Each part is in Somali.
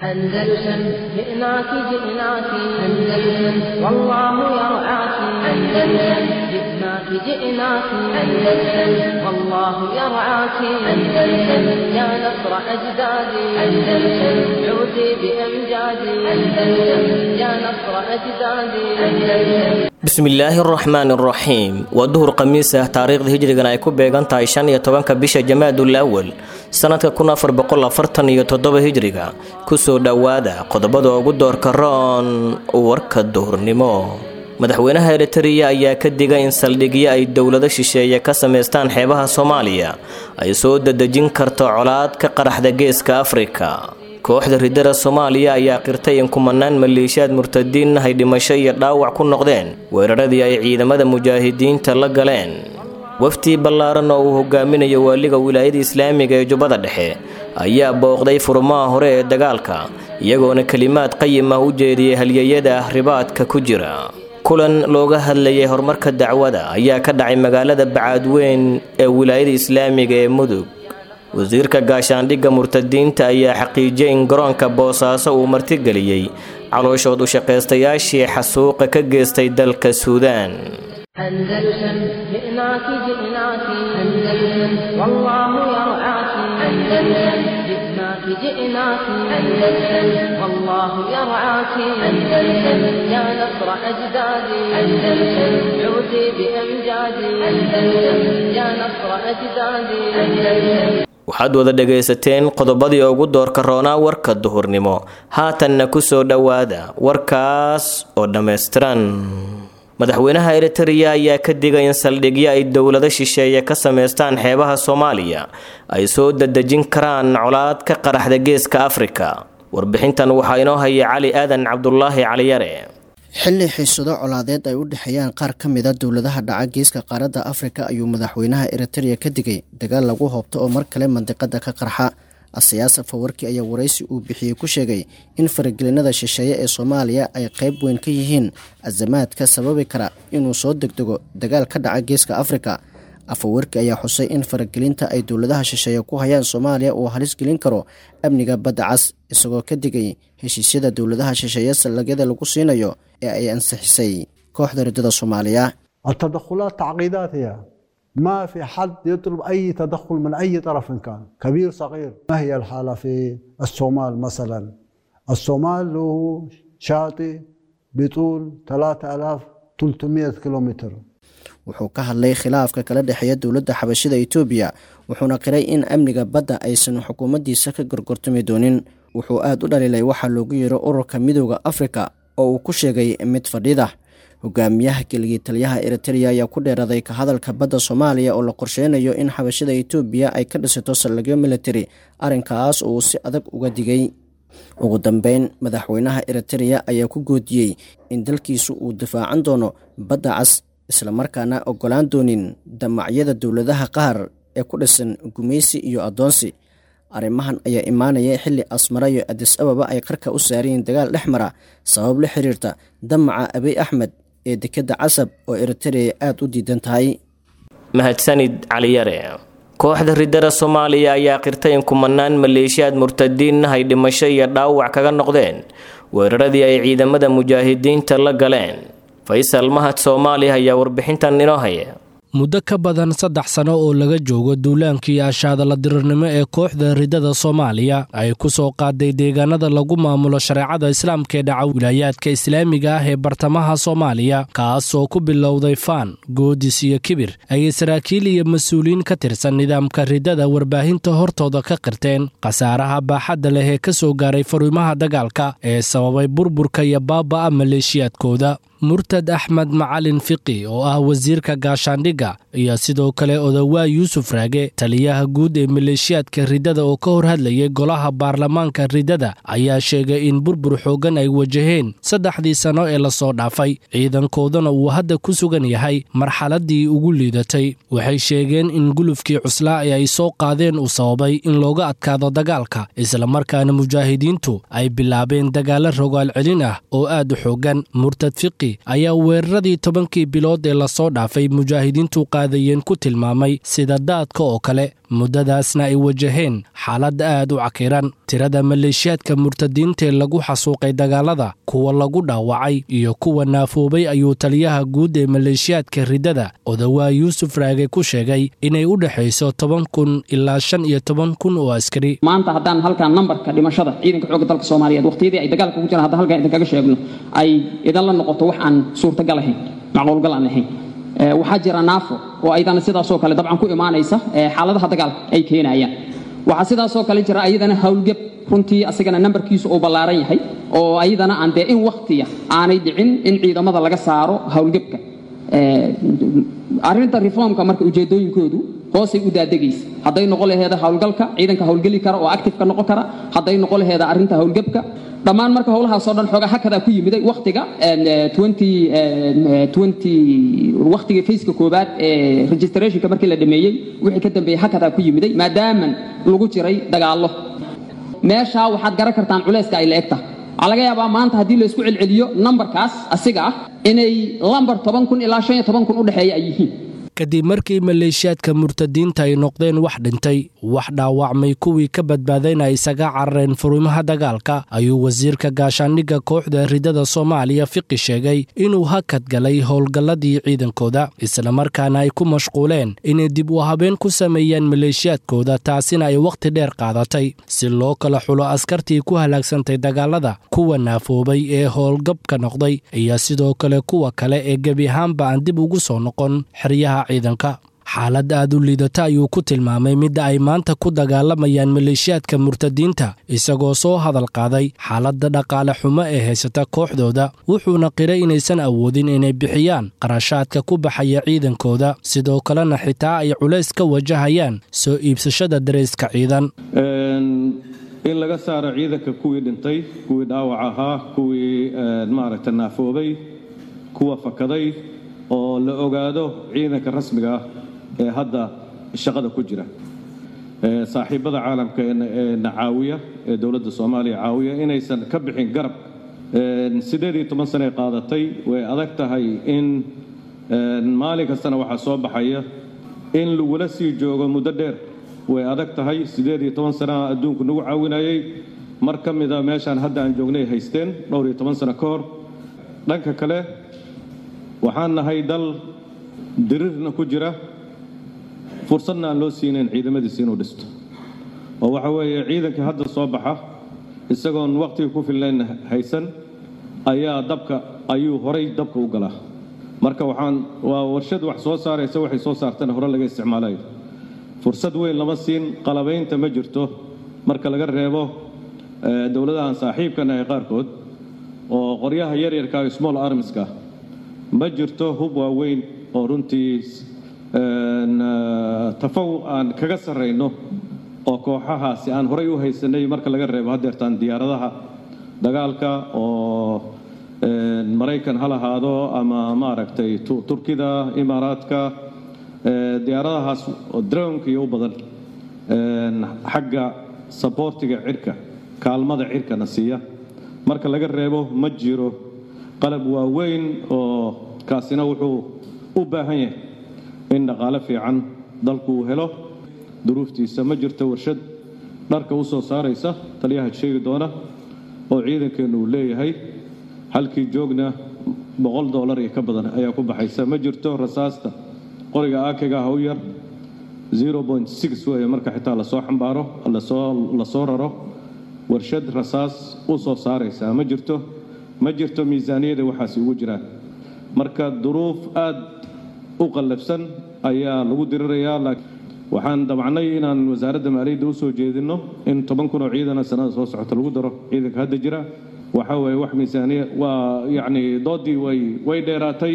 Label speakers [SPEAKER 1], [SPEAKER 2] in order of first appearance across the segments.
[SPEAKER 1] أندلسن جئناك جئناك أندلسن والله يرعاك أندلسن جئناك جئناك أندلسن والله يرعاك أندلسن يا نصر أجدادي أندلسن عودي بأمجادي أندلسن يا نصر أجدادي أندلسن.
[SPEAKER 2] Bismillaahi araxmaan araxiim. Waa duhur khamiis ah, taariikhda hijrigana ay ku beegan tahay 15-ka bisha Jamaadul Awal sanadka 1447 hijriga. Kusoo dhowaada qodobada ugu doorka roon warka duhurnimo. Madaxweynaha Eritariya ayaa ka digay in saldhigyo ay dowlado shisheeye ka sameystaan xeebaha Soomaaliya ay soo dadejin karto colaad ka qaraxda Geeska Afrika. Kooxda ridada Soomaaliya ayaa qirtay in kumanaan maleeshiyaad murtadiin ah ay dhimasho iyo dhaawac ku noqdeen weeraradii ay ciidamada mujaahidiinta la galeen. Wafdi ballaaran oo uu hogaaminayo waaliga wilaayada islaamiga ee Jubbada Dhexe ayaa booqday furmaha hore ee dagaalka, iyagoona kelimaad qayim ah u jeediyey halyeyada ribaadka ku jira. Kulan looga hadlayay horumarka dacwada ayaa ka dhacay magaalada Bacaadweyn ee wilaayada islaamiga ee Mudug. Wasiirka gaashaandhigga murtadiinta ayaa xaqiijiyay in garoonka Boosaaso uu martigeliyey calooshood u shaqaystayaashii xasuuqa ka geystay dalka Suudaan.
[SPEAKER 1] أندلسن جئناك جئناك أندلسن والله يرعاك أندلسن جئناك جئناك أندلسن والله يرعاك أندلسن يا نصر أجدادي أندلسن عودي بأمجادي أندلسن يا نصر أجدادي أندلسن.
[SPEAKER 2] Waxaad wada dhagaysateen qodobadii ugu doorka roonaa warka duhurnimo. Haatanna ku soo dhowaada warkaas oo dhammaystiran. Madaxweynaha Eritariya ayaa ka digay in saldhigyo ay dowlado shisheeye ka sameystaan xeebaha Soomaaliya ay soo dadejin karaan colaad ka qaraxda Geeska Afrika. Warbixintan waxaa inoo haya Cali Aadan Cabdulaahi Caliyare.
[SPEAKER 3] Xilli xiisado colaadeed ay u dhexeeyaan qaar ka mid a dowladaha dhaca geeska qaaradda Afrika ayuu madaxweynaha Eritrea ka digay dagaal lagu hoobto oo mar kale mandiqada ka qarxa. Asiyaas Fawarki ayaa waraysi uu bixiyey ku sheegay in faragelinada shisheeye ee Soomaaliya ay qayb weyn ka yihiin azamaadka sababi kara inuu soo degdego dagaal ka dhaca geeska Afrika. Afawarki ayaa xusay in faragelinta ay dowladaha shisheeye ku hayaan Soomaaliya uu halis gelin karo amniga badda cas, isagoo ka digay heshiisyada dowladaha shisheeye sallagyada lagu siinayo ee ay ansixisay kooxda ridada Soomaaliya.
[SPEAKER 4] التدخلات تعقيدات هي ما في حد يطلب أي تدخل من أي طرف كان كبير صغير. ما هي الحالة في الصومال مثلا؟ الصومال له شاطئ بطول 3300 كيلومتر.
[SPEAKER 3] Wuxuu ka hadlay khilaafka kala dhexeeya dowladda xabashida Itoobiya, wuxuuna qiray in amniga badda aysan xukuumaddiisa ka gorgortami doonin. Wuxuu aada u dhaliilay waxaa loogu yeero ururka Midooda Afrika oo uu ku sheegay mid fadhida. Hogaamiyaha keligii taliyaha Eritrea ayaa ku dheeraday ka hadalka badda Soomaaliya oo la qorsheynayo in xabashida Itoobiya ay ka dhisato saldhigyo military, arrinkaas oo uu si adag uga digay. Ugu dambeyn, madaxweynaha Eritrea ayaa ku goodiyey in dalkiisu uu difaacan doono badda cas, islamarkaana oggolaan doonin damacyada dowladaha qaar ee ku dhisan gumaysi iyo addoonsi. Arrimahan ayaa imaanaya xilli Asmara iyo Adis Ababa ay qarka u saarayeen dagaal dhex mara sabab la xiriirta damaca Abiy Axmed ee dekedda Casab oo Eritrea aada u diidan tahay.
[SPEAKER 2] Mahadsanid Caliyare. Kooxda ridada Soomaaliya ayaa qirtay in kumanaan maleeshiyaad murtadiin ah ay dhimasho iyo dhaawac kaga noqdeen weeraradii ay ciidamada mujaahidiinta la galeen. Faysal Mahad Soomaaliya ayaa warbixintan inoo haya.
[SPEAKER 5] Muddo ka badan 3 sano oo laga joogo duulaankii ashaadala dirirnimo ee kooxda ridada Soomaaliya ay ku soo qaaday deegaanada lagu maamulo shareecada islaamka ee dhaca wilaayaadka islaamiga ah ee bartamaha Soomaaliya, kaasoo ku bilowday faan, goodis iyo kibir, ayay saraakiil iyo mas-uuliyiin ka tirsan nidaamka ridada warbaahinta hortooda ka qirteen khasaaraha baaxadda leh ee ka soo gaaray fariimaha dagaalka ee sababay burburka iyo baaba'a maleeshiyaadkooda. Murtad Axmed Macalin Fiqi oo ah wasiirka gaashaandhigga iyo sidoo kale Odawaa Yuusuf Raage, taliyaha guud ee maleeshiyaadka ridada oo ka hor hadlayay golaha baarlamaanka ridada, ayaa sheegay in burbur xooggan ay wajaheen 3dii sano ee lasoo dhaafay, ciidankoodana uu hadda ku sugan yahay marxaladdii ugu liidatay. Waxay sheegeen in gulufkii cuslaa ee ay soo qaadeen uu sababay in looga adkaado dagaalka, islamarkaana mujaahidiintu ay bilaabeen dagaalo rogaal celin ah oo aad u xooggan. Murtad Fiqi ayaa weeraradii 10kii bilood ee lasoo dhaafay mujaahidiintu murtadiintu qaadayeen ku tilmaamay sida daadka oo kale, muddadaasna ay wajaheen xaalad aad u cakiran. Tirada maleeshiyaadka murtadiintaee lagu xasuuqay dagaalada, kuwa lagu dhaawacay iyo kuwa naafoobay ayuu taliyaha guud ee maleeshiyaadka riddada Odawaa Yuusuf Raage ku sheegay inay u dhexayso 10,000 ilaa 15,000 oo askari.
[SPEAKER 6] Maanta haddaan halkan nambarka dhimashada ciidanka xoogga dalka Soomaaliyeed waqtiyadii ay dagaalka ku jiraan haddaan halkan idinkaga sheegno ay idan la noqoto wax aan suurtagal ahayn, macquulgal aan ahayn. Waxaa jira naafo oo ayadana sidaasoo kale dabcan ku imaanaysa xaaladaha dagaalka ay keenayaan. Waxaa sidaasoo kale jira ayadana howlgab runtii asagana nambarkiisu uu ballaaran yahay oo ayadana aan dee in waqtiya aanay dhicin in ciidamada laga saaro howlgabka. Arrinta reformka marka ujeedooyinkoodu hoosay u daadegaysa, hadday noqon laheeda howlgalka ciidanka howlgeli kara oo active ka noqon kara, hadday noqon laheeda arrinta howlgabka, dhammaan marka howlahaasoo dhan xoogaa hakadaa ku yimiday waqtiga 2020 waqtiga faceka koowaad ee registrationka markii la dhameeyey wixii ka dambeeyey hakadaa ku yimiday maadaaman lagu jiray dagaallo. Meeshaa waxaad garan kartaan culayska ay la eg tahay. Waxaa laga yaabaa maanta haddii la isku celceliyo nambarkaas asiga ah inay lambar 10,000 ilaa 15,000 u dhexeeya ay yihiin.
[SPEAKER 5] Kadib markii maleeshiyaadka murtadiinta ay noqdeen wax dhintay, wax dhaawacmay, kuwii ka badbaadayna ay isaga carareen furimaha dagaalka, ayuu wasiirka gaashaandhigga kooxda riddada Soomaaliya Fiqi sheegay inuu hakad galay howlgalladii ciidankooda, islamarkaana ay ku mashquuleen inay dib u habeen ku sameeyaan maleeshiyaadkooda, taasina ay wakhti dheer qaadatay si loo kala xulo askartii ku halaagsantay dagaalada, kuwa naafoobay ee howlgabka noqday iyo sidoo kale kuwa kale ee gebi ahaanba aan dib ugu soo noqon xeryaha ciidanka. Xaalad aad u liidata ayuu ku tilmaamay midda ay maanta ku dagaalamayaan maleeshiyaadka murtadiinta, isagoo soo hadal qaaday xaaladda dhaqaale xumo ee haysata kooxdooda, wuxuuna qiray inaysan awoodin inay bixiyaan qarashaadka ku baxaya ciidankooda, sidoo kalena xitaa ay culays ka wajahayaan soo iibsashada dareyska ciidan.
[SPEAKER 7] In laga saaro ciidanka kuwii dhintay, kuwii dhaawac ahaa, kuwii maaragta naafoobay, kuwa fakaday, oo la ogaado ciidanka rasmiga ah ee hadda shaqada ku jira. Saaxiibada caalamka ee na caawiya ee dowladda Soomaaliya caawiya inaysan ka bixin garab. 18 sano ay qaadatay, way adag tahay in maalin kastana waxaa soo baxaya in lagula sii joogo muddo dheer, way adag tahay. 18 sanaha adduunku nagu caawinayay, mar ka mida meeshaan hadda aan joognay haysteen dhowr iyo toban sano ka hor. Dhanka kale waxaan nahay dal dirirna ku jira, fursadna aan loo siinayn ciidamadiisa inuu dhisto, oo waxa weeye ciidanka hadda soo baxa isagoon waqtiga ku filnayn haysan ayaa dabka ayuu horay dabka u galaa. Marka waxaan waa warshad wax soo saaraysa, waxay soo saartana hore laga isticmaalayo. Fursad weyn lama siin, qalabaynta ma jirto marka laga reebo dowladahan saaxiibkan ah qaarkood oo qoryaha yaryarka small armska, ma jirto hub waaweyn oo runtii tafawuq aan kaga sarrayno oo kooxahaasi aan horay u haysanay, marka laga reebo haddeertaan diyaaradaha dagaalka oo Maraykan ha lahaado ama maaragtay Turkida, Imaaraadka, diyaaradahaas oo dronka iyo u badan xagga saboortiga cirka, kaalmada cirkana siiya, marka laga reebo ma jiro qalab waaweyn oo kaasina wuxuu u baahan yahay in dhaqaale fiican dalku uu helo duruuftiisa. Ma jirto warshad dharka u soo saaraysa, taliyaha sheegi doona, oo ciidankeennu uu leeyahay, halkii joogna $100 iyo ka badan ayaa ku baxaysa. Ma jirto rasaasta qoriga aakiga ha u yar 0.6 weeye marka xitaa lasoo xambaaro lasoo raro, warshad rasaas u soo saaraysa ma jirto, ma jirto miisaaniyada waxaasi ugu jiraan. Marka duruuf aad u qallafsan ayaa lagu dirirayaa. Waxaan damcnay inaan wasaaradda maaliyadda u soo jeedinno in 10,000 oo ciidana sanada soo socota lagu daro ciidanka hadda jira. Waxa weeye wax miisaaniya waa yacni doodii way dheeraatay,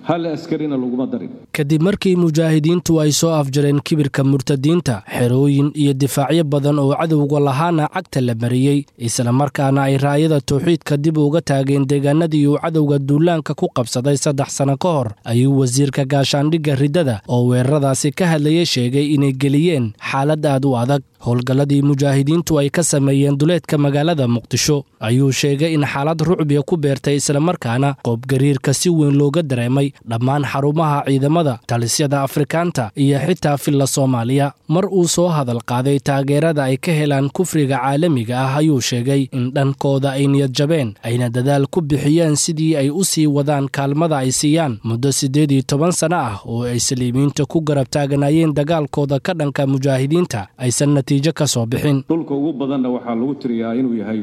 [SPEAKER 7] hal askarina laguma darin.
[SPEAKER 5] Kadib markii mujaahidiintu ay soo afjareen kibirka murtadiinta, xerooyin iyo difaacyo badan oo cadowga lahaana cagta la mariyey, islamarkaana ay raayada tawxiidka dib uga taageen deegaanadii uu cadowga duulaanka ku qabsaday 3 sano ka hor, ayuu wasiirka gaashaandhigga riddada oo weeraradaasi ka hadlayay sheegay inay geliyeen xaalad aad u adag. Howlgalladii mujaahidiintu ay ka sameeyeen duleedka magaalada Muqdisho ayuu sheegay in xaalad rucbiya ku beertay, islamarkaana qoobgariirka si weyn looga dareemay dhammaan xarumaha ciidamada ciidamada, talisyada Afrikaanta iyo xitaa filla Soomaaliya. Mar uu soo hadal qaaday taageerada ay ka helaan kufriga caalamiga ah ayuu sheegay in dhankooda ay niyad jabeen, ayna dadaal ku bixiyeen sidii ay u sii wadaan kaalmada ay siiyaan muddo 18 sano ah oo ay saliibiinta ku garab taaganayeen dagaalkooda ka dhanka mujaahidiinta aysan natiijo ka soo bixin.
[SPEAKER 7] Dhulka ugu badanna waxaa lagu tiriyaa inuu yahay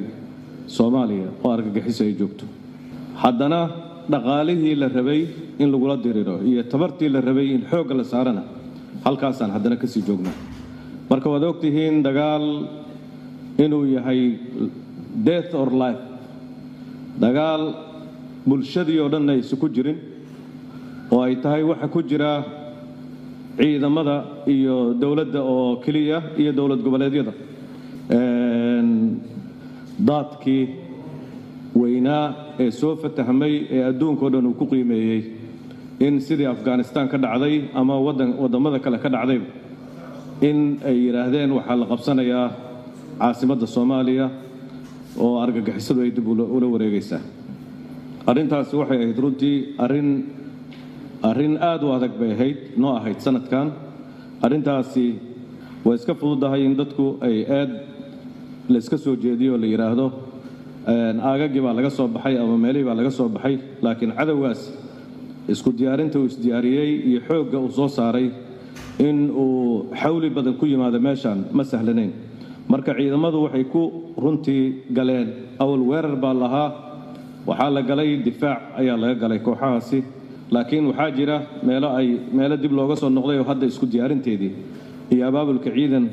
[SPEAKER 7] Soomaaliya oo argagixiso ay joogto. Haddana dhaqaalihii la rabay in lagula diriro iyo tabartii la rabay in xoogga la saarana halkaasaan haddana kasii joognaa. Marka waad ogtihiin dagaal inuu yahay death or life, dagaal bulshadii oo dhan aysan ku jirin oo ay tahay waxa ku jira ciidamada iyo dowladda oo keliya iyo dowlad goboleedyada. Daadkii weynaa ee soo fatahmay ee adduunka oo dhan uu ku qiimeeyey in sidii Afghanistan ka dhacday ama waddamada kale ka dhacdayba in ay yidhaahdeen waxaa la qabsanayaa caasimadda Soomaaliya oo argagixisadu ay dib ula wareegaysaa. Arrintaasi waxay ahayd runtii arrin aad u adag bay ahayd noo ahayd sanadkan. Arrintaasi way iska fududahay in dadku ay aad la iska soo jeediyo oo la yidhaahdo aagagii baa laga soo baxay ama meelihii baa laga soo baxay, laakiin cadowgaas isku diyaarinta uu isdiyaariyey iyo xoogga uu soo saaray in uu xawli badan ku yimaado meeshaan ma sahlanayn. Marka ciidamadu waxay ku runtii galeen awal weerar baa lahaa, waxaa la galay difaac ayaa laga galay kooxahaasi, laakiin waxaa jira meelo dib looga soo noqday oo hadda isku diyaarinteedii iyo abaabulka ciidan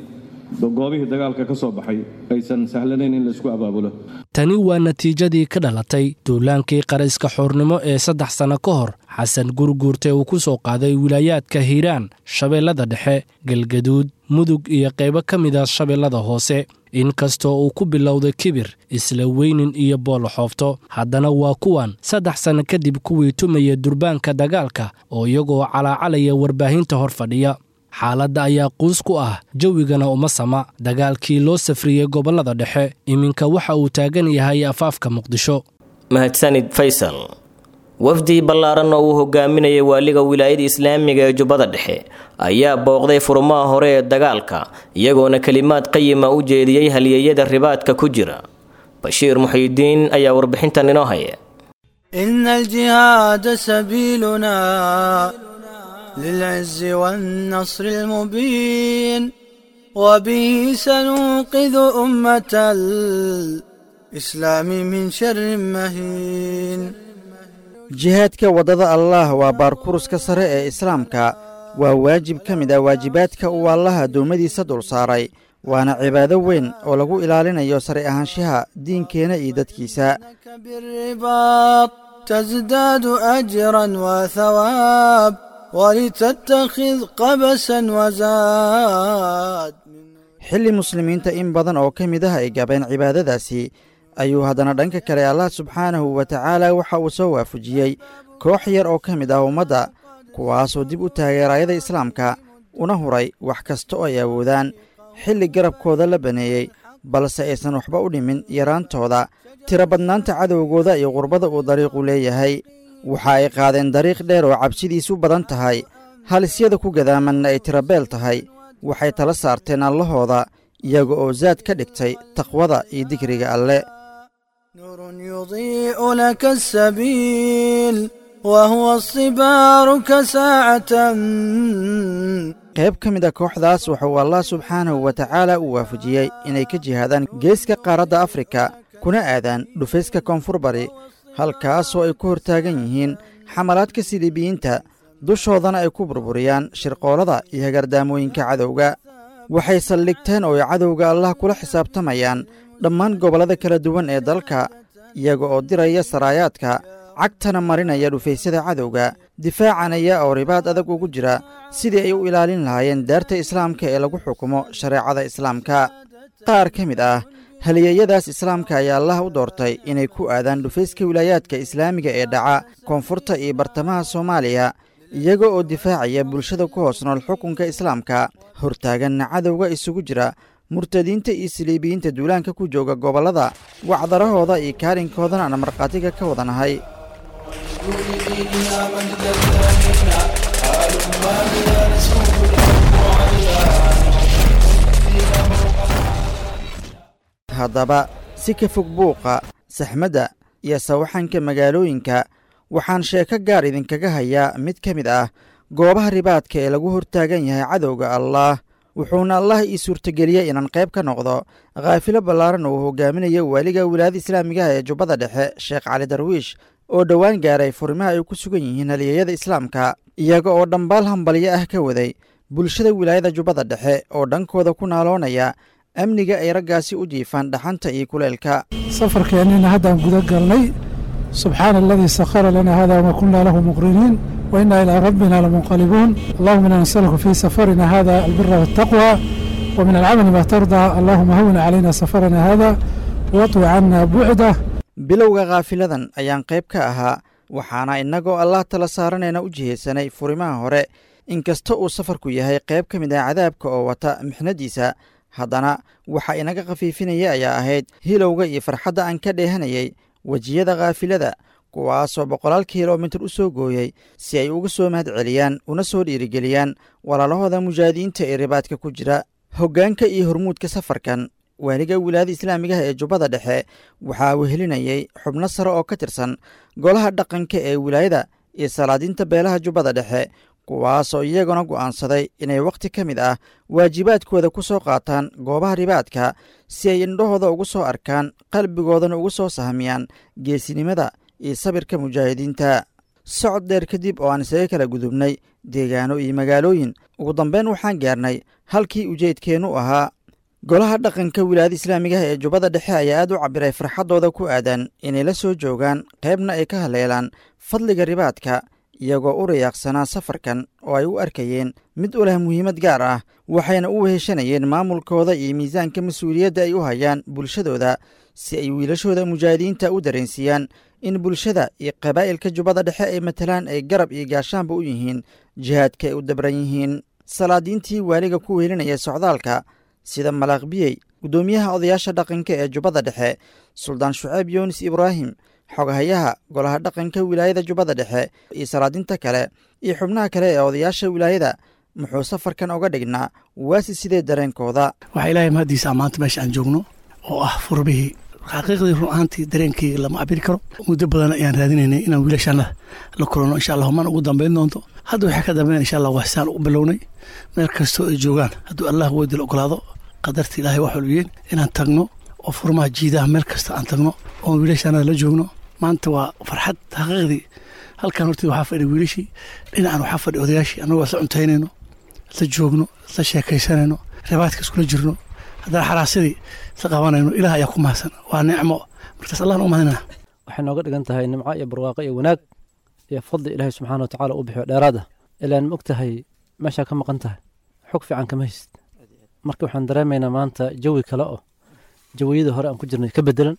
[SPEAKER 7] goobihii dagaalka ka soo baxay aysan sahlanayn in la isku abaabulo.
[SPEAKER 5] Tani waa natiijadii ka dhalatay duulaankii qarayska xoornimo ee 3 sano ka hor Xasan Gurguurte uu ku soo qaaday wilaayaadka Hiiraan, Shabeellada Dhexe, Galgaduud, Mudug iyo qaybo ka mid ah Shabeellada Hoose. Inkastoo uu ku bilowday kibir, isla weynin iyo booloxoofto, haddana waa kuwan 3 sano kadib kuwii tumaya durbaanka dagaalka oo iyagoo calaacalaya warbaahinta hor fadhiya. Xaaladda ayaa quus ku ah, jawigana uma sama. Dagaalkii loo safriyey gobollada dhexe iminka waxa uu taagan yahay afaafka Muqdisho.
[SPEAKER 2] Mahadsanid Faysal. Wafdi ballaaran oo uu hogaaminayay waaliga wilaayada islaamiga ee Jubbada Dhexe ayaa booqday furmaha hore ee dagaalka, iyagoona kelimaad qayima u jeediyey halyeeyada ribaadka ku jira. Bashiir Muxiidiin ayaa warbixintan inoo haya.
[SPEAKER 8] إن الجهاد سبيلنا للعز والنصر المبين، وبه سننقذ أمة الإسلام من شر مهين.
[SPEAKER 9] Jihaadka waddada Allaah waa baarkuruska sare ee Islaamka, waa waajib ka mid ah waajibaadka uu Allaha addoommadiisa dul saaray, waana cibaado weyn oo lagu ilaalinayo sare ahaanshaha diinkeena iyo dadkiisa.
[SPEAKER 8] بالرباط تزداد أجرا وثواب، ولتتخذ قبسا وزاد.
[SPEAKER 9] Xilli muslimiinta in badan oo ka mid ah ay gabeen cibaadadaasi ayuu haddana dhanka kale Allah subxaanahu wa tacaala waxa uu soo waafajiyey koox yar oo ka mid ah ummadda, kuwaasoo dib u taageerayada Islaamka una huray wax kasta oo ay awoodaan, xilli garabkooda la baneeyey balse aysan waxba u dhimin yaraantooda, tiro badnaanta cadowgooda iyo qurbada uu dariiqu leeyahay. Waxa ay qaadeen dariiq dheer oo cabsidiisu badan tahay, halisyada ku gadaamanna ay tirabeel tahay. Waxay tala saarteen Allahooda, iyaga oo zaad ka dhigtay taqwada iyo dikriga Alle.
[SPEAKER 8] نور يضيء لك السبيل وهو الصبار كساعة.
[SPEAKER 9] Qayb ka mid a kooxdaas wuxuu Allah subxaanahu wa tacaala u waafajiyey inay ka jihaadaan geeska qaaradda Afrika kuna aadaan dhufayska koonfur bari, halkaasoo ay ku hortaagan yihiin xamalaadka siliibiyiinta, dushoodana ay ku burburiyaan shirqoolada iyo hagardaamooyinka cadowga. Waxay saldhigteen oo ay cadowga Allah kula xisaabtamayaan dhammaan gobollada kala duwan ee dalka, iyaga oo diraya saraayaadka, cagtana marinaya dhufaysyada cadowga, difaacanaya oo ribaad adag ugu jira sidii ay u ilaalin lahaayeen daarta Islaamka ee lagu xukumo shareecada Islaamka. Qaar ka mid ah halyeeyadaas Islaamka ayaa Allah u doortay inay ku aadaan dhufayska wilaayaadka islaamiga ee dhaca koonfurta iyo bartamaha Soomaaliya, iyaga oo difaacaya bulshada ku hoos nool xukunka Islaamka, hortaaganna cadowga isugu jira murtadiinta iyo siliibiyiinta duulaanka ku jooga gobollada, wacdarahooda iyo kaalinkoodana aan markhaatiga ka wadanahay.
[SPEAKER 10] هلما لنسوق الحب عليا.
[SPEAKER 9] Haddaba si ka fog buuqa, saxmadda iyo sawaxanka magaalooyinka, waxaan sheeko gaar idinkaga hayaa mid ka mid ah goobaha ribaadka ee lagu hortaagan yahay cadowga Allaah. Wuxuuna Allah ii suurtageliyey inaan qayb ka noqdo khaafilo ballaaran oo uu hogaaminayo waaliga wilaayada islaamigaha ee Jubbada Dhexe, Sheekh Cali Darwiish, oo dhowaan gaaray furimaha ay ku sugan yihiin halyeeyada islaamka, iyaga oo dhambaal hambalyo ah ka waday bulshada wilaayada Jubbada Dhexe oo dhankooda ku naaloonaya amniga ay raggaasi u jiifaan dhaxanta iyo kuleelka.
[SPEAKER 11] Safarkeennina haddaan guda galnay. Subxaana aladii sakhara lana hada wama kunna lahu muqriniin wa inna ilaa rabbina lamunqalibuun. Allahuma inna nasaluka fii safarina hada albira waltaqwa wa min alcamali ma tardaa. Allahuma hawin calayna safarana hada watwi cana bucdah.
[SPEAKER 9] Bilowga khaafiladan ayaan qayb ka ahaa, waxaana innagoo Allah tala saaranayna u jihaysanay furimaha hore. Inkasta uu safarku yahay qayb ka mid ah cadaabka oo wata mixnadiisa, haddana waxa inaga khafiifinaya ayaa ahayd hilowga iyo farxadda aan ka dheehanayay wejiyada khaafilada, kuwaasoo boqolaal kilomitir u soo gooyey si ay uga soo mahad celiyaan una soo dhiirigeliyaan walaalahooda mujaahidiinta ee ribaadka ku jira. Hoggaanka iyo hormuudka safarkan waaliga wilaayada islaamigaha ee Jubbada Dhexe waxaa wehelinayay xubno sare oo ka tirsan golaha dhaqanka ee wilaayada iyo salaadiinta beelaha Jubbada Dhexe, kuwaasoo iyaguna go'aansaday inay wakhti ka mid ah waajibaadkooda ku soo qaataan goobaha ribaadka si ay indhahooda ugu soo arkaan, qalbigoodana ugu soo sahmiyaan geesinimada iyo sabirka mujaahidiinta. Socod dheer kadib oo aan isaga kala gudubnay deegaano iyo magaalooyin, ugu dambeyn waxaan gaarnay halkii ujeedkeennu ahaa. Golaha dhaqanka wilaayada islaamigaha ee Jubbada Dhexe ayaa aad u cabbiray farxaddooda ku aadan inay la soo joogaan, qaybna ay ka haleelaan fadliga ribaadka, iyagoo u riyaaqsanaa safarkan oo ay u arkayeen mid u leh muhiimad gaar ah, waxayna u weheshanayeen maamulkooda iyo miisaanka mas-uuliyadda ay u hayaan bulshadooda si ay wiilashooda mujaahidiinta u dareensiiyaan in bulshada iyo qabaa'ilka Jubbada Dhexe ay matalaan ay garab iyo gaashaanba u yihiin jihaadka ay u dabran yihiin. Salaadiintii waaliga ku wehelinaya socdaalka, sida Malaaq Biyey, guddoomiyaha odayaasha dhaqanka ee Jubbada Dhexe, Suldaan Shuceyb Yunis Ibraahim, xogahayaha golaha dhaqanka wilaayada Jubbada Dhexe, iyo salaadinta kale iyo xubnaha kale ee odayaasha wilaayada, muxuu safarkan oga dhignaa waasi sidee dareenkooda?
[SPEAKER 12] Waxaa Ilaahay mahaddiisa maanta meesha aan joogno oo ah furbihii. Xaqiiqdii, run ahaantii, dareenkayga lama cabiri karo. Muddo badan ayaan raadinaynay inaan wiilashaana la kulanno. Insha Allah mana ugu dambayn doonto. Hadda waxaa ka dambeyn, insha Allah, waxsaan u bilownay meel kastoo ay joogaan, hadduu Allah weydil ogolaado, qadarta Ilaahay wax walbiyeen, inaan tagno oo furmaha jiidaha meel kasta aan tagno oon wiilashaana la joogno. Maanta waa farxad xaqiiqdii. Halkan horteed waxaa fadhi wiilashii, dhinacan waxaa fadhi odayaashii, annagoo isla cuntaynayno, isla joogno, isla sheekaysanayno, ribaadka iskula jirno, haddana xaraasadii isla qabanayno. Ilaah ayaa ku mahadsan, waa nicmo markaas, Allahna u mahadinaa.
[SPEAKER 13] Waxay nooga dhigan tahay nimco iyo barwaaqo iyo wanaag iyo fadli Ilaahay subxaana wa tacaala uu bixiyo dheeraad ah. Ilaan ma og tahay meeshaa ka maqan tahay, xog fiican kama haysid. Marka waxaan dareemaynaa maanta jawi kale oo jawiyadii hore aan ku jirnay ka bedelan.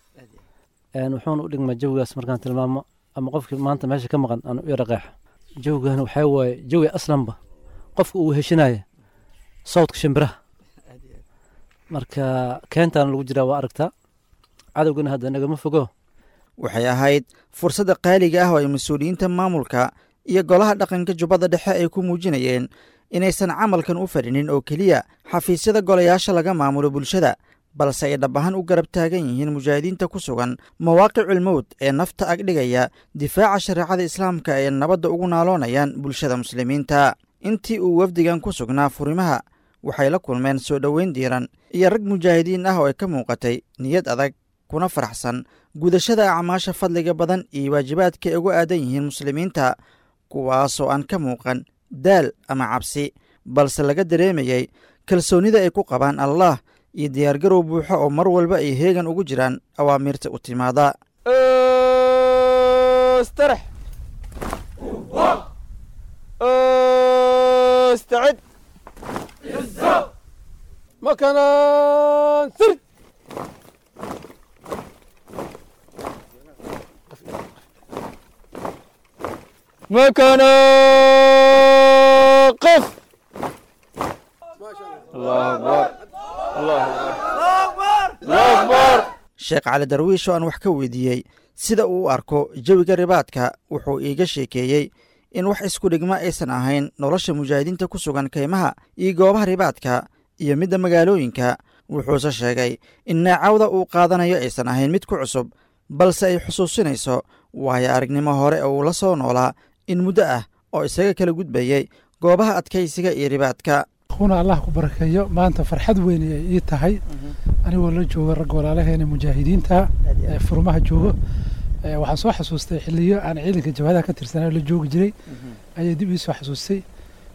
[SPEAKER 13] Wuxuuna u dhigmaa jawigaas markaan tilmaamo ama qofkii maanta meesha ka maqan aan u yara qeexa, jawigan waxaa waaye jawi aslanba qofka uu heshinaya sawdka shimbiraha. Marka keentaan lagu jiraa waa aragtaa, cadowgana hadda nagama fogo.
[SPEAKER 9] Waxay ahayd fursadda qaaliga ah oo ay mas-uuliyiinta maamulka iyo golaha dhaqanka Jubbada Dhexe ay ku muujinayeen inaysan camalkan u fadhinin oo keliya xafiisyada golayaasha laga maamulo bulshada, balse ay dhab ahaan u garab taagan yihiin mujaahidiinta ku sugan mawaaqicul mowd ee nafta agdhigaya difaaca shareecada islaamka ee nabadda ugu naaloonayaan bulshada muslimiinta. Intii uu wafdigan ku sugnaa furimaha, waxay la kulmeen soo dhoweyn diiran iyo rag mujaahidiin ah oo ay ka muuqatay niyad adag, kuna faraxsan gudashada acmaasha fadliga badan iyo waajibaadka ay ugu aadan yihiin muslimiinta, kuwaasoo aan ka muuqan daal ama cabsi, balse laga dareemayay kalsoonida ay ku qabaan Allah iyo diyaargarow buuxo oo mar walba ay heegan ugu jiraan awaamiirta u timaada.
[SPEAKER 14] استرح، استعد، مكانا سرد. مكانا قف. الله أكبر، الله أكبر، الله أكبر.
[SPEAKER 9] Sheekh Cali Darwiish oo aan wax ka weydiiyey sida uu u arko jawiga ribaadka, wuxuu iiga sheekeeyey in wax isku dhigma aysan ahayn nolosha mujaahidiinta ku sugan kaymaha iyo goobaha ribaadka iyo midda magaalooyinka. Wuxuuse sheegay in neecawda uu qaadanayo aysan ahayn mid ku cusub, balse ay xusuusinayso waayo aragnimo hore oo uu la soo noolaa in muddo ah oo isaga kala gudbayay goobaha adkaysiga iyo ribaadka.
[SPEAKER 11] Kuna Allah ku barakeeyo. Maanta farxad weyn ay ii tahay anigoo la jooga ragga walaalaheena mujaahidiinta ee furmaha joogo. Waxaan soo xasuustay xilliyo aan ciidanka jabhadaha ka tirsanaa la joogi jiray ayay dib ii soo xasuustay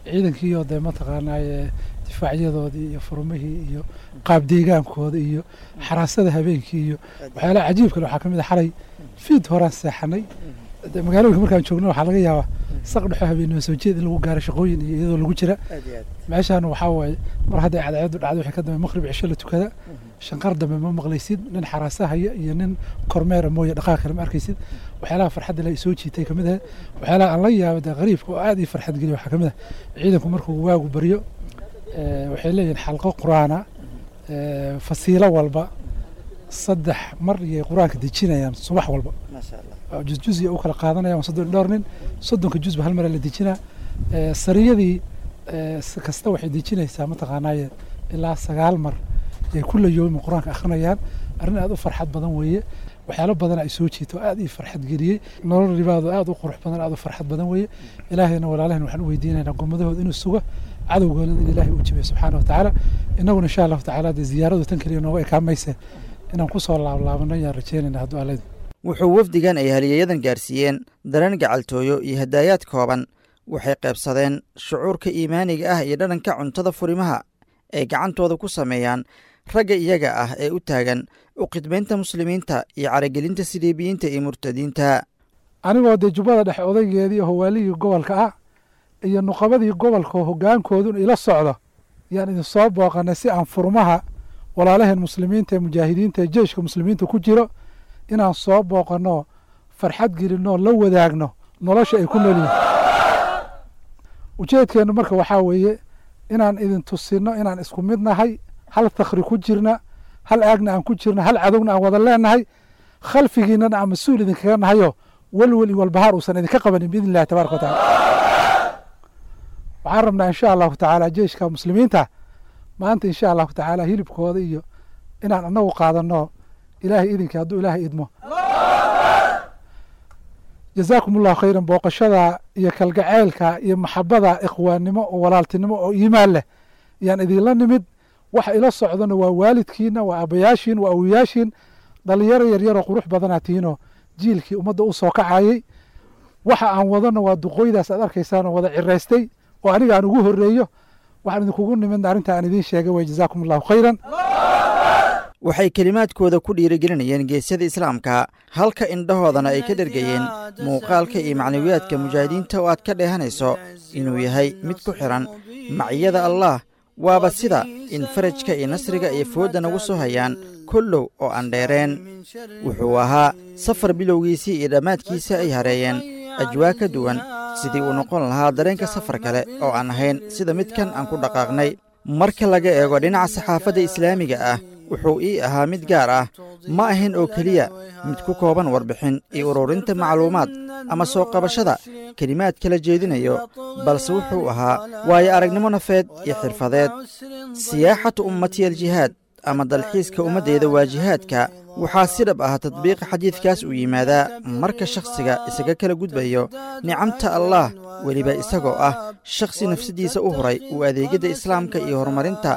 [SPEAKER 11] ciidankiioo dee mataqaanaaye difaacyadoodii iyo furmihii iyo qaab deegaankooda iyo xaraasada habeenkii iyo waxyaalaha cajiibka leh. Waxaa ka mid ah xalay fiid horaan seexanay. Dee magaalooyinka markaan joogno waxaa laga yaabaa saq dhexo habeenimo soo jeed in lagu gaaro shaqooyin iyo iyadoo lagu jira. Meeshaan waxaa waaye mar hadday cadceedu dhacdo wixii ka dambe maqrib cisho la tukada, shanqar dambe ma maqlaysid, nin xaraasa haya iyo nin kormeera mooye dhaqaaq kale ma arkaysid. Waxyaalaha farxadda la soo jiitay kamid ah waxyaalaha aan la yaabo dee qariibka oo aad ii farxad geliya waxaa kamid ah ciidanku markuu waagu baryo, waxay leeyihiin xalqo qur-aana, fasiilo walba 3 mar iyay qur-aanka dejinayaan subax walba, juz u kala qaadanayaan, waa 30 dhowr nin, 30-ka juzba hal mara la dejinaa. Sariyadii kasta waxay dejinaysaa mataqaanaaye ilaa 9 mar ay kulla yoomi qur-aanka akhrinayaan. Arrin aad u farxad badan weeye. Waxyaalo badan ay soo jiito aad ii farxad geliyey. Nolol ribaado aad u qurux badan, aad u farxad badan weeye. Ilaahayna walaalahayna waxaan u weydiinaynaa gommadahooda inuu sugo, cadowgoona in Ilaahay uu jabiyo subxaana watacaala. Innaguna insha Allahu tacaala dee ziyaaradu tan keliya nooga ekaamayse inaan kusoo laablaabano ayaan rajeynayna hadduu Alla idmo.
[SPEAKER 9] Wuxuu wafdigan ay haliyayadan gaarsiiyeen dareen gacaltooyo iyo hadaayaad kooban. Waxay qaybsadeen shucuurka iimaaniga ah iyo dhadhanka cuntada furimaha ay gacantooda ku sameeyaan ragga iyaga ah ee u taagan u khidmaynta muslimiinta iyo caragelinta siliibiyiinta iyo murtadiinta.
[SPEAKER 11] Anigoo dee jubbada dhexe odaygeedii oo hawaaligii gobolka ah iyo nuqabadii gobolka oo hoggaankoodun ila socdo yaan idin soo booqanay si aan furmaha walaalaheen muslimiinta ee mujaahidiinta ee jeeshka muslimiinta ku jiro inaan soo booqanno, farxad gelinno, la wadaagno nolosha ay ku nool yihiin. Ujeedkeennu marka waxaa weeye inaan idin tusinno inaan isku mid nahay, hal takhri ku jirna, hal aagna aan ku jirna, hal cadowna aan wada leenahay, khalfigiinana aan mas-uul idinkaga nahayo, welwel iyo walbahaar uusan idinka qabanin biidni illahi tabaraka wa tacaala. Waxaan rabnaa insha Allahu tacaala jeeshka muslimiinta maanta insha Allahu tacaala hilibkooda iyo inaan annagu qaadanno Ilaahay idinka hadduu Ilaahay idmo. Jazaakum Allahu khayran. Booqashada iyo kalgaceylka iyo maxabada ikhwaannimo oo walaaltinimo oo iimaan leh yaan idinla nimid. Waxa ila socdana waa waalidkiina, waa aabbayaashiin, waa awowayaashiin. Dhalinyaro yaryaroo qurux badanaa tihiinoo jiilkii ummadda u soo kacayay. Waxa aan wadana waa duqooydaas aad arkaysaan oo wada ciraystay oo aniga aan ugu horreeyo. Waxaan idinkugu nimidna arrinta aan idiin sheegay way. Jazaakum Allahu khayran.
[SPEAKER 9] Waxay kelimaadkooda ku dhiirigelinayeen geesyada islaamka, halka indhahoodana ay ka dhergayeen muuqaalka iyo macnawiyaadka mujaahidiinta oo aad ka dheehanayso inuu yahay mid ku xidhan maciyada Allaah. Waaba sida in farajka iyo nasriga ay foodda nagu soo hayaan kollow oo aan dheereen. Wuxuu ahaa safar bilowgiisii iyo dhammaadkiisa ay hareeyeen ajwaa ka duwan sidii uu noqon lahaa dareenka safar kale oo aan ahayn sida midkan aan ku dhaqaaqnay. Marka laga eego dhinaca saxaafadda islaamiga ah, wuxuu ii ahaa mid gaar ah. Ma ahayn oo keliya mid ku kooban warbixin iyo ururinta macluumaad ama soo qabashada kelimaad kala jeedinayo, balse wuxuu ahaa waayo aragnimo nafeed iyo xirfadeed. Siyaaxatu ummati aljihaad ama dalxiiska ummaddeeda waa jihaadka. Waxaa si dhab ah tadbiiqa xadiidkaas uu yimaadaa marka shakhsiga isaga kala gudbayo nicamta Allaah, weliba isagoo ah shakhsi nafsaddiisa u huray uu adeegyada islaamka iyo horumarinta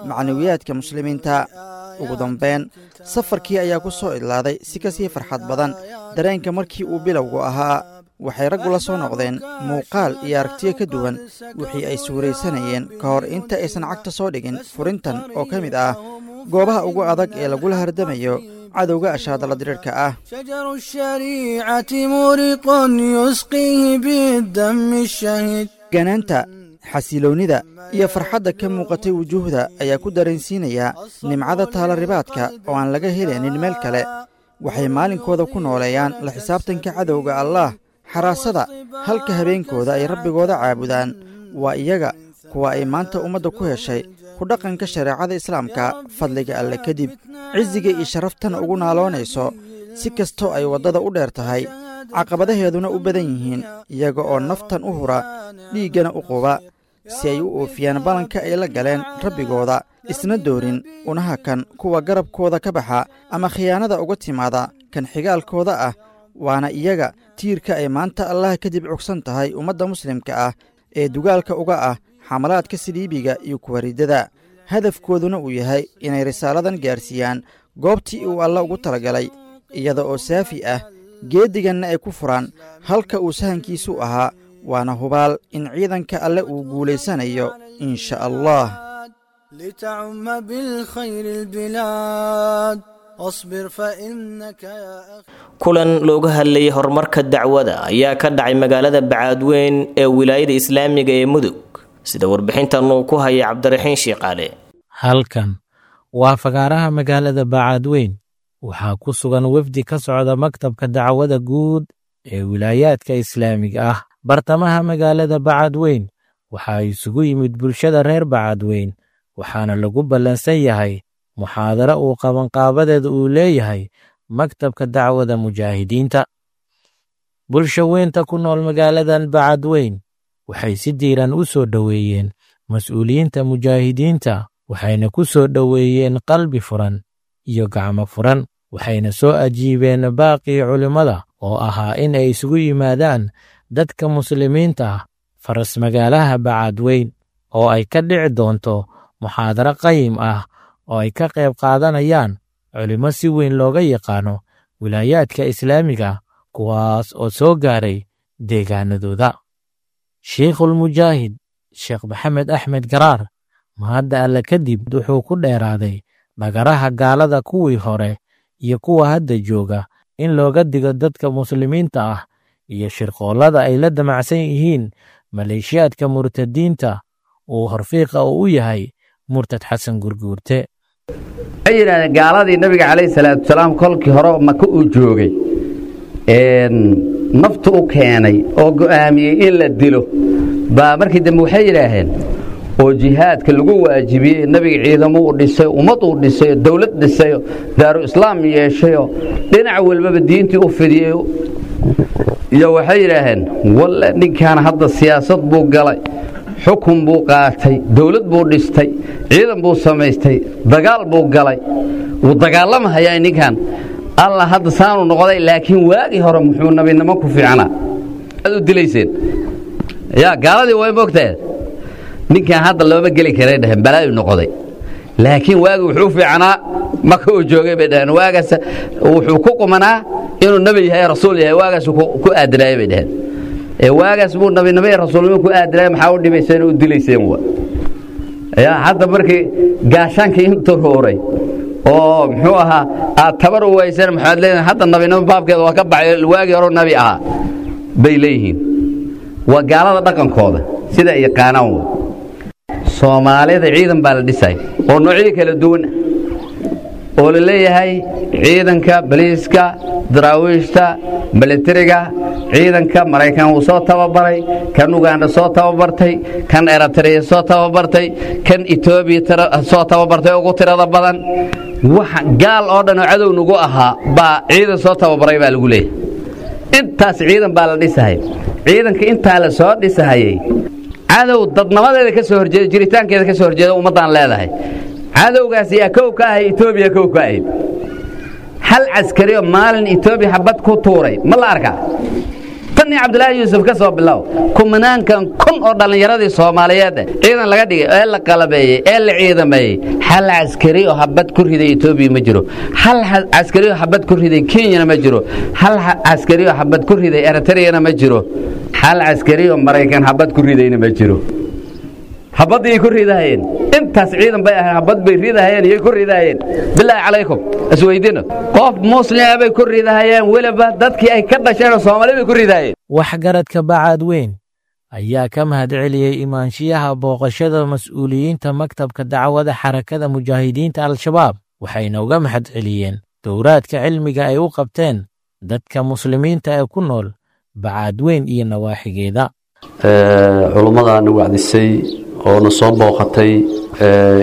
[SPEAKER 9] macnawiyaadka muslimiinta. Ugu dambayn safarkii ayaa ku soo idlaaday si ka sii farxad badan dareenka markii uu bilowgu ahaa. Waxay raggu la soo noqdeen muuqaal iyo aragtiyo ka duwan wixii ay suuraysanayeen ka hor inta aysan cagta soo dhigin furintan oo ka mid ah goobaha ugu adag ee lagula hardamayo cadowga ashaadala diriirka ah.
[SPEAKER 8] شجر الشريعة مورق يسقيه بالدم الشهيد.
[SPEAKER 9] Ganaanta, xasiloonnida iyo farxadda ka muuqatay wujuuhda ayaa ku dareensiinaya nimcada taala ribaadka oo aan laga helaynin meel kale. Waxay maalinkooda ku nooleeyaan la xisaabtanka cadowga Allaah, xaraasada, halka habeenkooda ay rabbigooda caabudaan. Waa iyaga kuwa ay maanta ummadda ku heshay ku dhaqanka shareecada islaamka fadliga Alle kadib, cisiga iyo sharaftana ugu naaloonayso si kastoo ay waddada u dheer tahay. Caqabadaheeduna u badan yihiin, iyaga oo naftan u hura, dhiiggana u quba, si ay u oofiyaan ballanka ay la galeen rabbigooda, isna doorin una hakan kuwa garabkooda ka baxa ama khiyaanada uga timaada kan xigaalkooda ah. Waana iyaga tiirka ay maanta Allaha kadib cugsan tahay ummadda muslimka ah ee dugaalka uga ah xamalaadka saliibiga iyo kuwa riddada, hadafkooduna uu yahay inay risaaladan gaarsiiyaan goobtii uu Alle ugu talagalay, iyada oo saafi ah, geeddiganna ay ku furaan halka uu sahankiisu ahaa. Waana hubaal in ciidanka Alle uu guulaysanayo, insha Allah.
[SPEAKER 8] لتعم بالخير البلاد، اصبر فإنك يا أخي.
[SPEAKER 2] Kulan looga hadlayay horumarka dacwada ayaa ka dhacay magaalada Bacaadweyn ee wilaayada islaamiga ee Mudug, sida warbixintan uu ku hayay Cabdiraxiin Shiiqaale.
[SPEAKER 15] Halkan waa fagaaraha magaalada Bacaadweyn. Waxaa ku sugan wefdi ka socda maktabka dacwada guud ee wilaayaadka islaamiga ah. Bartamaha magaalada Bacaadweyn waxaa isugu yimid bulshada reer Bacaadweyn, waxaana lagu ballansan yahay muxaadaro uu qabanqaabadeeda uu leeyahay maktabka dacwada mujaahidiinta. Bulsho weynta ku nool magaaladan Bacaadweyn waxay si diiran u soo dhoweeyeen mas'uuliyiinta mujaahidiinta, waxayna ku soo dhoweeyeen qalbi furan iyo gacmo furan, waxayna soo ajiibeen baaqii culimmada oo ahaa in ay isugu yimaadaan dadka muslimiinta ah faras magaalaha Bacaadweyn, oo ay ka dhici doonto muxaadaro qayim ah oo ay ka qayb qaadanayaan culimmo si weyn looga yaqaano wilaayaadka islaamiga, kuwaas oo soo gaaray deegaanadooda. Shiikhulmujaahid Sheekh Maxamed Axmed Garaar, mahadda Alle kadib, wuxuu ku dheeraaday dhagaraha gaalada kuwii hore iyo kuwa hadda jooga in looga digo dadka muslimiinta ah iyo shirqoollada ay la damacsan yihiin maleeshiyaadka murtadiinta uu horfiiqa uu u yahay murtad Xasan Gurguurte.
[SPEAKER 16] Waxay yidhahdeen gaaladii Nabiga calayhi salaatu wasalaam kolkii hore Maka uu joogay naftu u keenay oo go'aamiyey in la dilo baa markii dambe waxay yidhaaheen oo jihaadka lagu waajibiyey nabiga, ciidamo u dhisay, ummad uu dhisay, dowlad dhisayo, daaru islaam yeeshayo, dhinac walbaba diintii u fidiyey, iyo waxay yidhaaheen walle ninkaan hadda siyaasad buu galay, xukun buu qaatay, dowlad buu dhistay, ciidan buu samaystay, dagaal buu galay, wuu dagaalamahayaa ninkan, Alla hadda saanu noqday, laakiin waagii hore muxuu nabinimo ku fiicnaa aad u dilayseen ya. Gaaladii way moogtahay ninkan hadda looma geli karay dhaheen, balaayu noqday, laakiin waagi wuxuu fiicnaa Maka uu joogay bay dhaheen. Waagaas wuxuu ku qumanaa inuu nebi yahay, rasuul yahay, waagaas ku aadinaayay bay dhaheen. Ee waagaas buu nabinimo iyo rasuulnimo ku aadinaayay, maxaa u dhibayseen u dilayseen wa ya? Hadda markii gaashaankii intuu ruuray oo muxuu ahaa aad tabar u wayseen, maxaad leedahay hadda nabinimo baabkeeda waa ka baxay, waagii hore nabi ahaa bay leeyihiin. Waa gaalada dhaqankooda sida ay yaqaanaan. Wa Soomaalida ciidan baa la dhisay oo noocyo kala duwan oo la leeyahay, ciidanka baliiska, daraawiishta, milatariga, ciidanka Maraykan wuu soo tababaray, kan Uganda soo tababartay, kan Eritrea soo tababartay, kan Etoobiya soo tababartay, ugu tirada badan. Wax gaal oo dhan oo cadow nagu ahaa baa ciidan soo tababaray baa lagu leeyahay. Intaas ciidan baa la dhisahay. Ciidanka intaa la soo dhisahayay, cadow dadnimadeeda ka soo horjeeda, jiritaankeeda ka soo horjeeda ummaddaan leedahay, cadowgaas yaa kow ka ahay? Etoobiya kow ka ahayd. Hal caskari oo maalin Etoobiya xabad ku tuuray ma la arkaa? Tan iyo Cabdilaahi Yuusuf ka soo bilow, kumanaankan kun oo dhallinyaradii Soomaaliyeed ciidan laga dhigay ee la qalabeeyey ee la ciidameeyey, hal caskari oo xabad ku riday Etoobiya ma jiro, hal caskari oo xabad ku riday Kenyana ma jiro, hal caskari oo xabad ku riday Eritreyana ma jiro, hal caskari oo Maraykan xabad ku ridayna ma jiro. Xabaddii ku ridahayeen, intaas ciidan bay ahayn, xabad bay ridahayeen, iyay ku ridahayeen? Bilaahi calaykum isweydiino, qof muslima bay ku ridahayeen? Weliba dadkii ay ka dhasheen oo Soomaali bay ku ridahayeen.
[SPEAKER 15] Waxgaradka Bacaadweyn ayaa ka mahadceliyey imaanshiyaha booqashada mas'uuliyiinta maktabka dacwada Xarakada Mujaahidiinta Al-Shabaab, waxayna uga mahadceliyeen dowraadka cilmiga ay u qabteen dadka muslimiinta ee ku nool Bacaadweyn iyo nawaaxigeeda.
[SPEAKER 17] Culummadana wacdisay oo na soo booqatay,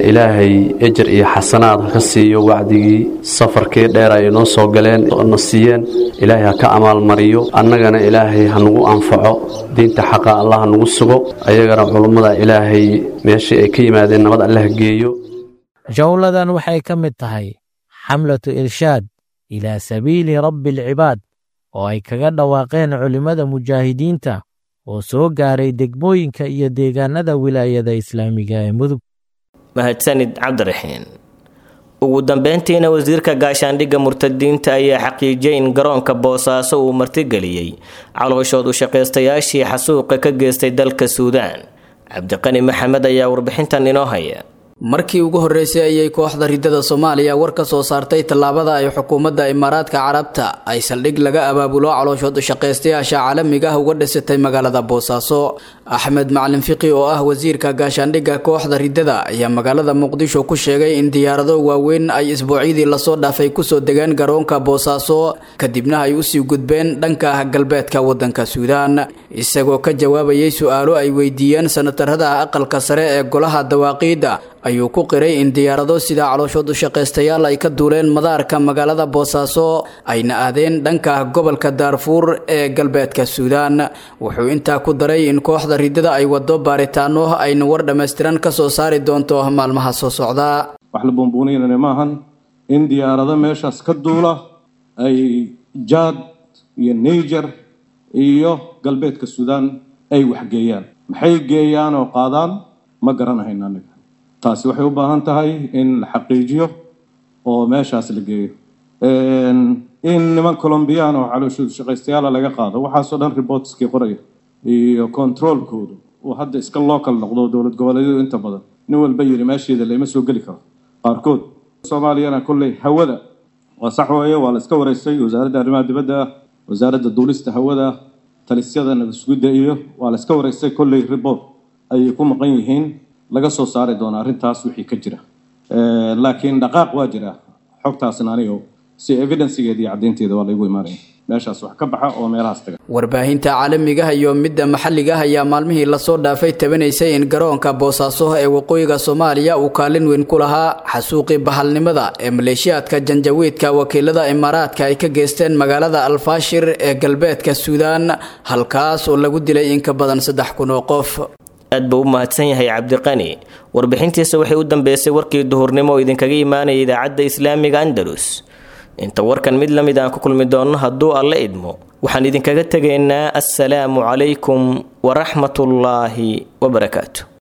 [SPEAKER 17] ilaahay ejer iyo xasanaad ha ka siiyo wacdigii safarkii dheer ay noo soo galeen oo na siiyeen. Ilaahay ha ka amaalmariyo, annagana ilaahay ha nagu anfaco, diinta xaqa allah ha nagu sugo, ayagana culummada ilaahay meeshii ay ka yimaadeen nabad alle ha geeyo.
[SPEAKER 15] Jowladan waxay ka mid tahay xamlatu irshaad ilaa sabiili rabbi alcibaad oo ay kaga dhawaaqeen culimmada mujaahidiinta oo soo gaaray degmooyinka iyo deegaanada wilaayada islaamiga ee Mudug.
[SPEAKER 2] Mahadsanid Cabdiraxiin. Ugu dambeyntiina, wasiirka gaashaandhigga murtadiinta ayaa xaqiijiyey in garoonka Boosaaso uu martigeliyey calooshood u shaqaystayaashii xasuuqa ka geystay dalka Suudaan. Cabdiqani Maxamed ayaa warbixintan inoo haya.
[SPEAKER 18] Markii ugu horreysay ayay kooxda ridada Soomaaliya war ka soo saartay tallaabada ay xukuumadda Imaaraadka Carabta ay saldhig laga abaabulo calooshood shaqaystayaasha caalamiga ah uga dhisatay magaalada Boosaaso. Axmed Macalin Fiqi oo ah wasiirka gaashaandhigga kooxda ridada ayaa magaalada Muqdisho ku sheegay in diyaarado waaweyn ay isbuucyadii lasoo dhaafay kusoo degeen garoonka Boosaaso, kadibna ay usii gudbeen dhanka galbeedka wadanka Suudaan. Isagoo ka jawaabayay su-aalo ay weydiiyeen sanatarada aqalka sare ee golaha dawaaqiidda ayuu ku qiray in diyaarado sida calooshood u shaqaystayaal ay ka duuleen madaarka magaalada Boosaaso ayna aadeen dhanka gobolka Daarfuur ee galbeedka Suudaan. Wuxuu intaa ku daray in kooxda ridada ay wado baaritaano ayna war dhammaystiran ka soo saari doonto maalmaha soo socda.
[SPEAKER 7] Wax la buunbuuninana maahan in diyaarado meeshaas ka duula ay Jaad iyo Niger iyo galbeedka Suudaan ay waxgeeyaan. Maxay geeyaan oo qaadaan ma garanahayn anaga. Taasi waxay u baahan tahay in la xaqiijiyo oo meeshaas la geeyo, in niman Colombiyaan oo calooshoodu shaqaystayaala laga qaado. Waxaasoo dhan reportskii qoraya iyo controlkoodu uu hadda iska local noqdo, dowlad goboleedyadu inta badan nin walba yidhi meesheeda layma soo geli karo qaarkood. Soomaaliyana kolley hawada waa sax weeye, waa la iska wareystay wasaaradda arrimaha dibadda, wasaaradda duulista hawada, talisyada nabadsugidda iyo waa la iska wareystay. Kolley report ayay ku maqan yihiin laga soo saari doona arrintaas wixii ka jira, laakiin dhaqaaq waa jira. Xogtaasna anigo si evidencegeeda iyo caddaynteeda waa laygu imaanaya meeshaas wax ka baxa oo meelahaas taga.
[SPEAKER 18] Warbaahinta caalamiga iyo midda maxalliga ayaa maalmihii lasoo dhaafay tabanaysay in garoonka Boosaaso ee waqooyiga Soomaaliya uu kaalin weyn ku lahaa xasuuqii bahalnimada ee maleeshiyaadka janjawiidka wakiilada Imaaraadka ay ka geysteen magaalada Alfaashir ee galbeedka Suudaan, halkaas oo lagu dilay in ka badan 3000 oo qof.
[SPEAKER 2] Aad buu u mahadsan yahay Cabdiqani. Warbixintiisa waxay u dambeysay warkii duhurnimo oo idinkaga imaanaya idaacadda islaamiga Andalus. Inta warkan mid la mid aan ku kulmi doonno hadduu Alle idmo, waxaan idinkaga tegaynaa assalaamu calaykum waraxmatullaahi wabarakaatu.